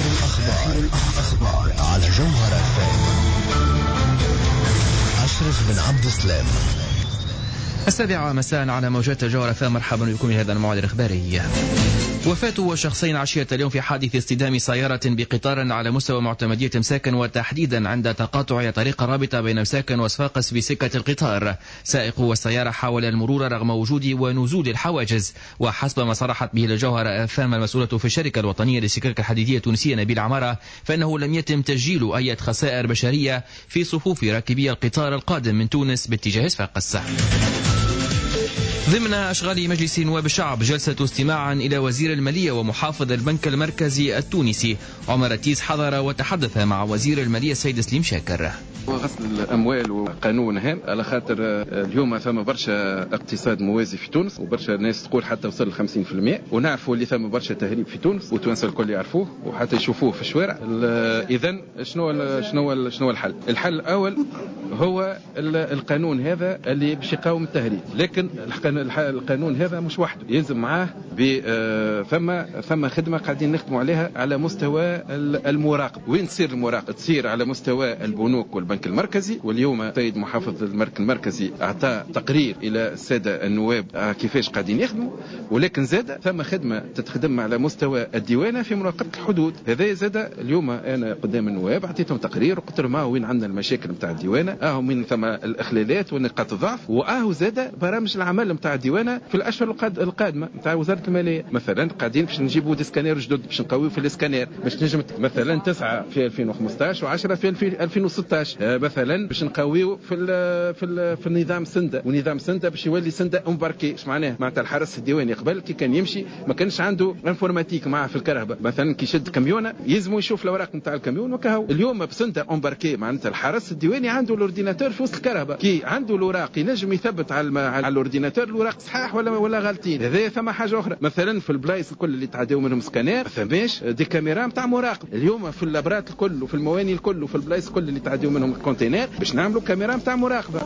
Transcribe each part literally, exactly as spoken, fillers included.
الأخبار الأخبار على جوهرة إف إم. أشرف بن عبد السلام. السابعة مساء على موجات الجوهرة إف إم. مرحبا بكم في هذا الموعد الإخباري. وفاة شخصين عشية اليوم في حادث اصطدام سيارة بقطار على مستوى معتمدية مساكن، وتحديدا عند تقاطع طريق الرابطة بين مساكن وصفاقس بسكة القطار. سائق السيارة حاول المرور رغم وجود ونزول الحواجز، وحسب ما صرحت به الجوهرة إف إم المسؤولة في الشركة الوطنية للسكك الحديدية التونسية نبيل عمارة، فإنه لم يتم تسجيل أي خسائر بشرية في صفوف راكبي القطار القادم من تونس باتجاه صفاقس. ضمن أشغال مجلس نواب الشعب جلسة استماع إلى وزير المالية ومحافظ البنك المركزي التونسي. عمر التيس حضر وتحدث مع وزير المالية السيد سليم شاكر. وغسل الأموال وقانون هام، على خاطر اليوم ثم برشا اقتصاد موازي في تونس، وبرشا ناس تقول حتى وصل ل خمسين بالمئة، ونعرفوا اللي ثم برشا تهريب في تونس، وتونس الكل يعرفوه وحتى يشوفوه في الشوارع. إذن شنو شنو شنو الحل؟ الحل الأول هو القانون هذا اللي باش يقاوم التهريب، لكن القانون هذا مش وحده، يلزم معاه ثم ثم خدمة قاعدين نخدموا عليها على مستوى المراقبة. وين تصير المراقبة؟ تصير على مستوى البنوك والبنك المركزي. واليوم السيد محافظ البنك المركزي أعطى تقرير إلى السادة النواب كيفاش قاعدين يخدموا، ولكن زاد ثم خدمة تتخدم على مستوى الديوانة في مراقبة الحدود. هذا زاد اليوم أنا قدام النواب أعطيتهم تقرير وقلت لهم وين عندنا المشاكل نتاع الديوانة، أهو وين ثم الإخلالات ونقاط الضعف، وأهو زاد برامج العمل نتاع الديوانة في الأشهر القادمة نتاع وزارة المالية. مثلا قاعدين باش نجيبوا des scanners جدد باش نقويو في السكانير، باش نجم مثلا تسعة في ألفين وخمسطاش وعشرة في ألفين وستطاش، مثلا باش نقويو في ال في ال في النظام سنده، ونظام سنده باش يولي سنده embarqué. اش معناه؟ معناتها الحرس الديواني قبل كي كان يمشي ما كانش عنده informatique معاه في الكرهبه، مثلا كي يشد كاميونه يلزمو يشوف الاوراق نتاع الكاميون وكهو. اليوم بسنده embarqué معناتها الحرس الديواني عنده l'ordinateur في وسط الكرهبه، كي عنده الاوراق ينجم يثبت على على l'ordinateur الاوراق صحاح ولا ولا غالطين. هذا ثم حاجة اخرى، مثلا في البلايص الكل اللي تعداو منهم سكانير ما ثماش des caméras نتاع مراقب. اليوم في الابرات الكل وفي المواني الكل وفي البلايص الكل اللي تعداو منهم ال conteneur باش نعملوا كاميرا نتاع مراقبة.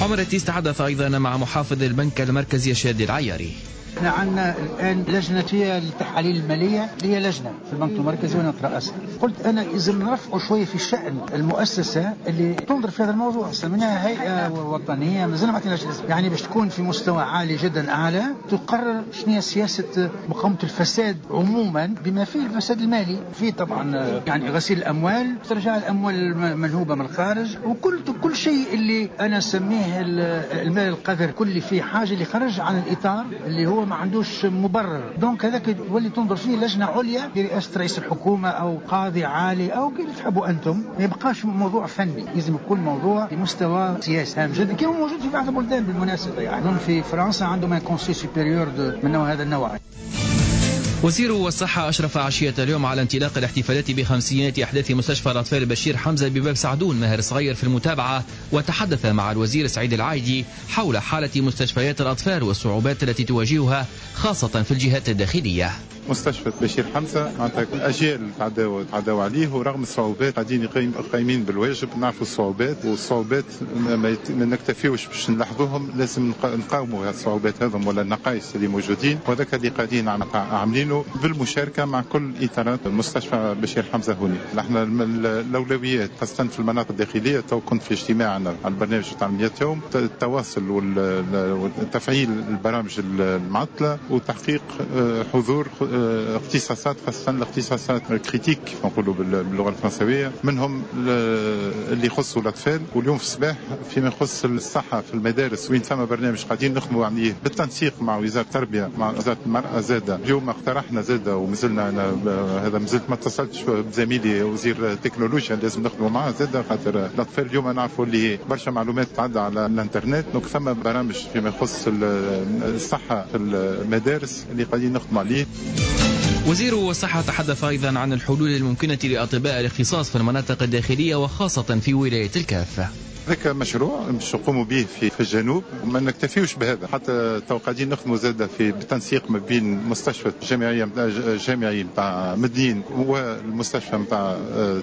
عمر التيس تحدث ايضا مع محافظ البنك المركزي الشادي العياري. احنا عندنا الان لجنة فيها التحاليل المالية، اللي هي لجنة في البنك المركزي وانا اترأسها. قلت انا اذا نرفعوا شوية في شان المؤسسة اللي تنظر في هذا الموضوع، سميناها هيئة وطنية مازلنا ما عطيناش الاسم، يعني باش تكون في مستوى عالي جدا اعلى، تقرر شنو هي سياسة مقاومة الفساد عموما بما فيه الفساد المالي، فيه طبعا يعني غسيل الاموال، استرجاع الاموال المنهوبه من الخارج، وكل كل شيء اللي انا اسميه المال القذر، كل فيه حاجة اللي خرج عن الاطار اللي هو ما عندوش مبرر. donc هذاك يولي تنظر فيه لجنة عليا برئاسة رئيس الحكومة او قاضي عالي او كيف تحبوا انتم. ما يبقاش موضوع فني، لازم يكون موضوع بمستوى سياسي هام جدا كما موجود في بعض البلدان بالمناسبة. يعني في فرنسا عندهم un conseil supérieur من هذا النوع. وزير الصحة أشرف عشية اليوم على انطلاق الاحتفالات بخمسينات أحداث مستشفى الأطفال بشير حمزة بباب سعدون ماهر صغير في المتابعة، وتحدث مع الوزير سعيد العايدي حول حالة مستشفيات الأطفال والصعوبات التي تواجهها خاصة في الجهات الداخلية. مستشفى بشير حمزة معناتها أجيال تعداو تعداو عليه، ورغم الصعوبات قاعدين قايمين بالواجب. نعرفوا الصعوبات، والصعوبات ما نكتفيوش باش نلاحظوهم، لازم نقاوموا الصعوبات هذم ولا النقائص اللي موجودين، وهذاك اللي قاعدين عاملينه بالمشاركة مع كل إطارات مستشفى بشير حمزة هوني. نحن الأولويات خاصة في المناطق الداخلية، تو كنت في اجتماع على البرنامج تاع مية يوم، التواصل وتفعيل البرامج المعطلة وتحقيق حضور اختصاصات، خاصة الاختصاصات critiques نقولوا باللغة الفرنسوية، منهم اللي يخصوا الأطفال. واليوم في الصباح فيما يخص الصحة في المدارس وين ثم برنامج قاعدين نخدموا عليه بالتنسيق مع وزارة التربية مع وزارة المرأة زادة. اليوم اقترحنا زادة ومازلنا أنا هذا مازلت ما اتصلتش بزميلي وزير التكنولوجيا، لازم نخدموا معاه زادة، خاطر الأطفال اليوم نعرفوا اللي برشا معلومات تعدى على الانترنت. donc ثم برامج فيما يخص الصحة في المدارس اللي قاعدين نخدموا عليه. وزير الصحة تحدث أيضا عن الحلول الممكنة لأطباء الاختصاص في المناطق الداخلية وخاصة في ولاية الكاف. ذاك مشروع باش نقوموا به في في الجنوب، وما نكتفيوش بهذا، حتى تو قاعدين نخدموا زاده في بالتنسيق ما بين مستشفى الجامعية الجامعي نتاع مدنين والمستشفى نتاع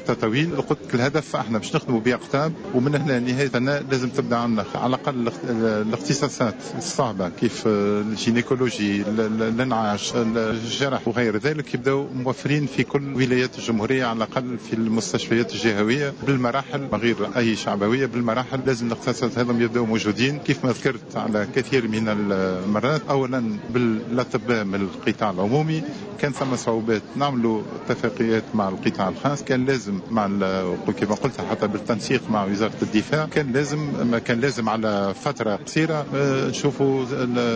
تطاوين. قلت الهدف احنا باش نخدموا باقطاب، ومن هنا نهاية لازم تبدا عندنا على الاقل الاختصاصات الصعبة كيف ال gynécologie، الانعاش، الجرح وغير ذلك، يبداو موفرين في كل ولايات الجمهورية على الاقل في المستشفيات الجهوية بالمراحل، من غير اي شعبويه، بالمراحل لازم الاختصاصات هذم يبداو موجودين كيف ما ذكرت على كثير من المرات. اولا بالاطباء من القطاع العمومي، كان ثم صعوبات نعملوا اتفاقيات مع القطاع الخاص، كان لازم مع كما قلت حتى بالتنسيق مع وزارة الدفاع، كان لازم ما كان لازم على فترة قصيرة نشوفوا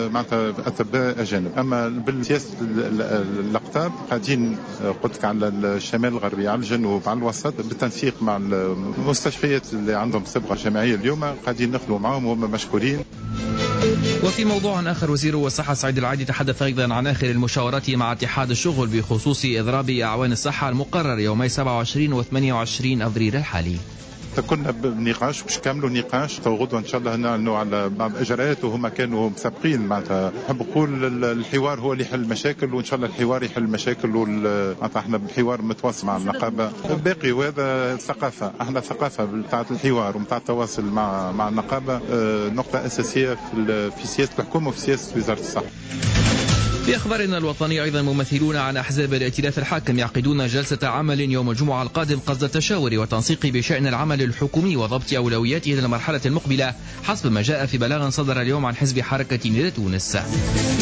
معناتها اطباء اجانب. اما بالسياسة الاقطاب قاعدين قلت لك على الشمال الغربي، على الجنوب، على الوسط، بالتنسيق مع المستشفيات اللي عندهم صبغة جامعية اليوم قاعدين نخدموا معهم وهم مشكورين. وفي موضوع آخر، وزير الصحة سعيد العادي تحدث أيضا عن آخر المشاورات مع اتحاد الشغل بخصوص إضراب أعوان الصحة المقرر يومي سبعة وعشرين وثمانية وعشرين أبريل الحالي. كنا بنقاش باش كملوا نقاش تو غدوه ان شاء الله نعلنوا على بعض الاجراءات، وهما كانوا مسابقين. معناتها نحب نقول الحوار هو اللي يحل المشاكل، وان شاء الله الحوار يحل المشاكل، معناتها احنا بحوار متواصل مع النقابة باقي، وهذا ثقافة، احنا ثقافة بتاعه الحوار ومتاع التواصل مع مع النقابة، نقطة اساسية في في سياسة الحكومة وفي سياسة وزارة الصحة. في أخبارنا الوطنية أيضا، ممثلون عن أحزاب الائتلاف الحاكم يعقدون جلسة عمل يوم الجمعة القادم قصد التشاور والتنسيق بشأن العمل الحكومي وضبط أولوياته للمرحلة المقبلة، حسب ما جاء في بلاغ صدر اليوم عن حزب حركة نداء تونس.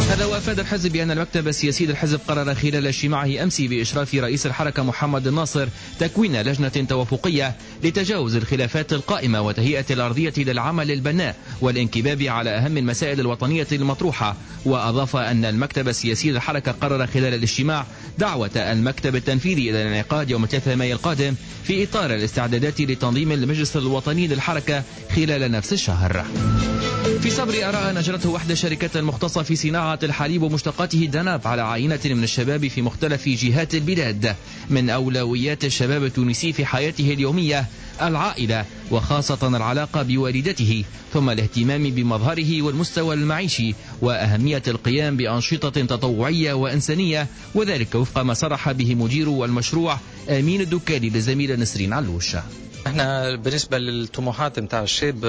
هذا وأفاد الحزب بأن المكتب السياسي للحزب قرر خلال اجتماعه أمس بإشراف رئيس الحركة محمد الناصر تكوين لجنة توافقية لتجاوز الخلافات القائمة وتهيئة الأرضية للعمل البناء والانكباب على أهم المسائل الوطنية المطروحة. وأضاف أن المكتب السياسي للحركة قرر خلال الاجتماع دعوة المكتب التنفيذي إلى الانعقاد يوم ثلاثة مايو القادم في إطار الاستعدادات لتنظيم المجلس الوطني للحركة خلال نفس الشهر. في صبر آراء أجرته وحدة الشركات المختصة في صناعة الحليب ومشتقاته داناب على عينة من الشباب في مختلف جهات البلاد، من أولويات الشباب التونسي في حياته اليومية العائلة وخاصة العلاقة بوالدته، ثم الاهتمام بمظهره والمستوى المعيشي وأهمية القيام بأنشطة تطوعية وإنسانية، وذلك وفق ما صرح به مدير المشروع أمين الدكالي للزميلة نسرين علوش. احنا بالنسبة للطموحات نتاع الشاب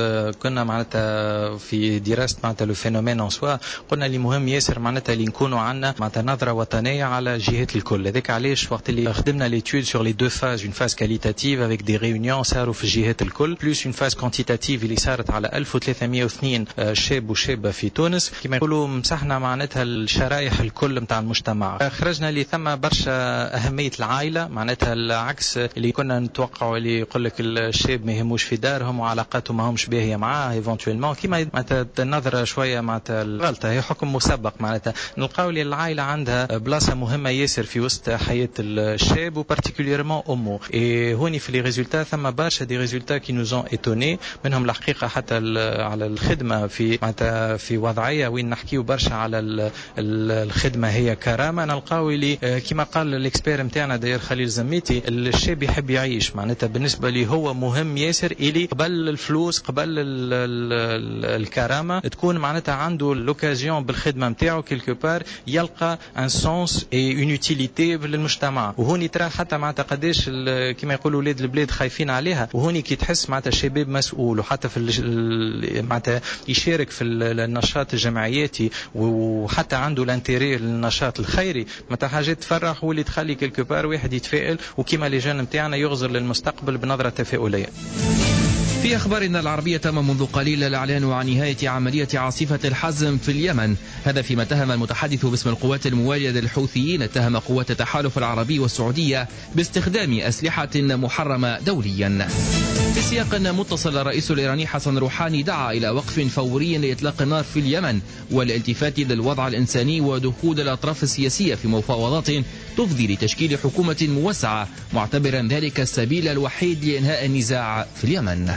كنا معناتها في دراسة معناتها le phénomène en soi، قلنا اللي مهم ياسر معناتها اللي نكونوا عندنا معناتها نظره وطنية على الجهات الكل. هذاك علاش وقت اللي خدمنا l'étude sur les deux phases، une phase qualitative avec des réunions صاروا في الجهات الكل، plus une phase quantitative اللي صارت على ألف وثلاثمئة واثنين شاب وشابه في تونس. كما يقولوا مسحنا معناتها الشرائح الكل نتاع المجتمع، خرجنا اللي ثم برشا اهمية العائلة، معناتها العكس اللي كنا نتوقعوا اللي يقول لك الشاب ما يهموش في دارهم وعلاقاته ما همش باهيه معاه éventuellement، كيما معناتها النظرة شوية معناتها الغلطة هي حكم مسبق. معناتها نلقاو اللي العائلة عندها بلاصة مهمة ياسر في وسط حياة الشاب و particulièrement امه. et هوني في les résultats ثم برشا des résultats qui nous ont étonnés، منهم الحقيقة حتى على الخدمة في معناتها في وضعية وين نحكيو برشا على الخدمة هي كرامة، نلقاو اللي كيما قال l'expert نتاعنا داير خليل زميتي، الشاب يحب يعيش، معناتها بالنسبة لي هو مهم ياسر الي قبل الفلوس قبل ال ال الكرامة تكون معناتها عنده l'occasion بالخدمة نتاعو quelque part يلقى un sens et une utilité للمجتمع. وهوني ترى حتى معناتها قداش كما يقولوا ولاد البلاد خايفين عليها، وهوني كي تحس معناتها الشباب مسؤول وحتى في معناتها يشارك في النشاط الجمعياتي وحتى عنده l'intérêt للنشاط الخيري، معناتها حاجات تفرح واللي تخلي quelque part واحد يتفائل، وكيما les jeunes نتاعنا يغزر للمستقبل بنظره تفاؤلية. في أخبارنا العربية، تم منذ قليل الإعلان عن نهاية عملية عاصفة الحزم في اليمن، هذا فيما اتهم المتحدث باسم القوات الموالية للحوثيين اتهم قوات التحالف العربي والسعودية باستخدام أسلحة محرمة دوليا. في سياق متصل، الرئيس الإيراني حسن روحاني دعا إلى وقف فوري لإطلاق النار في اليمن والالتفات للوضع الإنساني ودخول الأطراف السياسية في مفاوضات تفضي لتشكيل حكومة موسعة، معتبرا ذلك السبيل الوحيد لإنهاء النزاع في اليمن.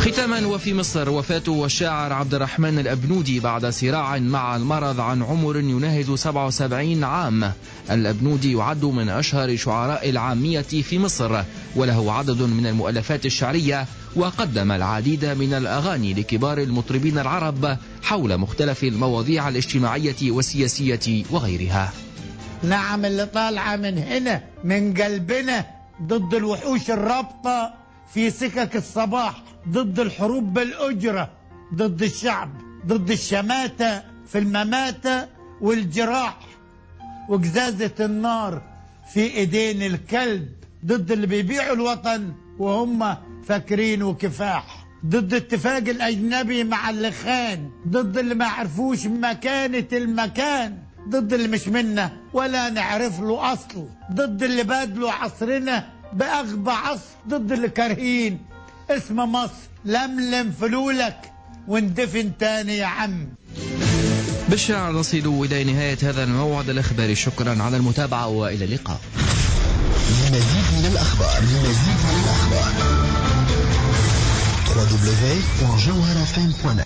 ختاما وفي مصر، وفاة الشاعر عبد الرحمن الأبنودي بعد صراع مع المرض عن عمر يناهز سبعة وسبعين عام. الأبنودي يعد من أشهر شعراء العامية في مصر، وله عدد من المؤلفات الشعرية، وقدم العديد من الأغاني لكبار المطربين العرب حول مختلف المواضيع الاجتماعية والسياسية وغيرها. نعم اللي طالعة من هنا من قلبنا ضد الوحوش الرابطة في سكك الصباح، ضد الحروب بالأجرة، ضد الشعب، ضد الشماتة في المماتة والجراح وقزازة النار في ايدين الكلب، ضد اللي بيبيعوا الوطن وهم فاكرين وكفاح، ضد اتفاق الأجنبي مع اللي خان، ضد اللي ما عرفوش مكانة المكان، ضد اللي مش منا ولا نعرف له أصل، ضد اللي بادلوا عصرنا بأغبى عصر، ضد اللي كارهين اسم مصر. لملم فلولك واندفن تاني يا عم. بالشعر نصل إلى نهاية هذا الموعد الإخباري. شكرا على المتابعة وإلى اللقاء. لمزيد من الأخبار لمزيد من الأخبار دبليو دبليو دبليو دوت جوهرة إف إم دوت نت.